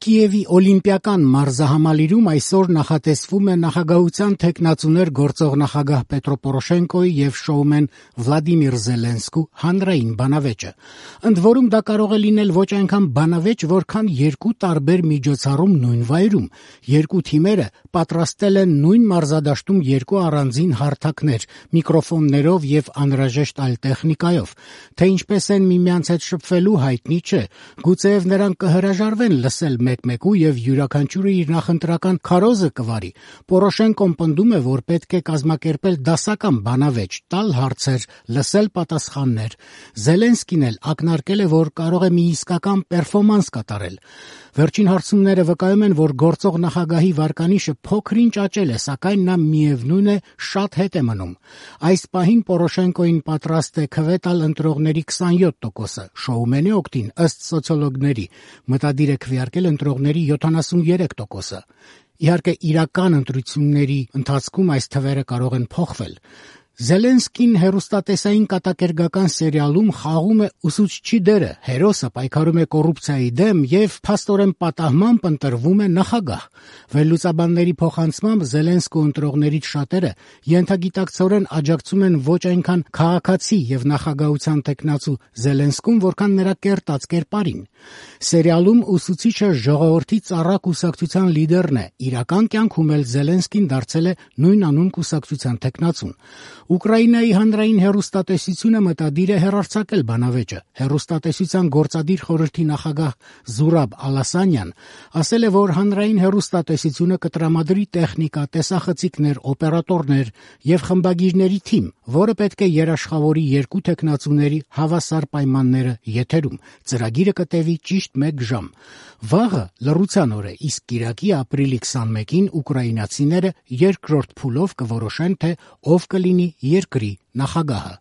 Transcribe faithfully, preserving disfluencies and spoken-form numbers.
Կիևի օլիմպիական մարզահամալիրում այսօր նախատեսվում է նախագահության թեկնածուներ գործող նախագահ Պետրո Պորոշենկոյի եւ շոումեն Վլադիմիր Զելենսկու հանրային բանավեճը։ Ընդ որում դա կարող է լինել ոչ այնքան բանավեճ, որքան երկու տարբեր միջոցառում նույն վայրում։ Երկու թիմերը պատրաստել են նույն մարզադաշտում երկու առանձին հարթակներ, միկրոֆոններով եւ անհրաժեշտ այլ տեխնիկայով։ Թե ինչպես են միմյանց հետ շփվելու հայտնի չէ։ Գուցեև նրանք կհրաժարվեն լսել մեկ-մեկու եւ յուրաքանչյուրը իր նախընտրական քարոզը կվարի։ Պորոշենկոն պնդում է, որ պետք է կազմակերպել դասական բանավեճ, տալ հարցեր, լսել պատասխաններ։ Զելենսկին էլ ակնարկել է, որ կարող է մի իսկական պերֆորմանս կատարել։ Վերջին հարցումները վկայում են, որ գործող նախագահի վարկանիշը փոքր-ինչ աճել է, սակայն նա միևնույն է շատ հետ է մնում։ Այս պահին Պորոշենկոին պատրաստ է քվե տալ ընտրողների քսանյոթ տոկոսը, շոումենի օգտին ըստ սոցիոլոգների մտադիր է քվեարկել ընտրողների յոթանասուններեք տոկոսը։ Իհարկե, իրական ընտրությունների ընթացքում այս թվերը կարող են փոխվել։ Զելենսկին հեռուստատեսային կատակերգական սերիալում խաղում է ուսուցչի դերը, հերոսը պայքարում է կոռուպցիայի դեմ եւ փաստորեն պատահմամբ ընտրվում է նախագահ։ Վերլուծաբանների փոխանցմամբ Զելենսկու ընտրողներից շատերը ենթագիտակցորեն աջակցում են ոչ այնքան քաղաքացի եւ նախագահության թեկնածու Զելենսկուն, որքան նրա կերտած կերպարին։ Սերիալում ուսուցիչը ժողովրդի ծառա կուսակցության լիդերն է, իրական կյանքում էլ Զելենսկին դարձել է նույն անուն կուսակցության թեկնածուն։ Ուկրաինայի հանրային հեռուստատեսությունը մտադիր է հեռարձակել բանավեճը։ Հեռուստատեսության գործադիր խորհրդի նախագահ Զուրաբ Ալասանյան ասել է, որ հանրային հեռուստատեսությունը կտրամադրի տեխնիկա, տեսախցիկներ, օպերատորներ եւ խմբագիրների թիմ, որը պետք է երաշխավորի երկու թեկնածուների հավասար պայմանները եթերում։ Ծրագիրը կտևի ճիշտ մեկ ժամ։ Վաղը լռության օր է, իսկ կիրակի ապրիլի քսանմեկին ուկրաինացիները երկրորդ փուլով կորոշեն, թե ով կլինի երկրի նախագահը։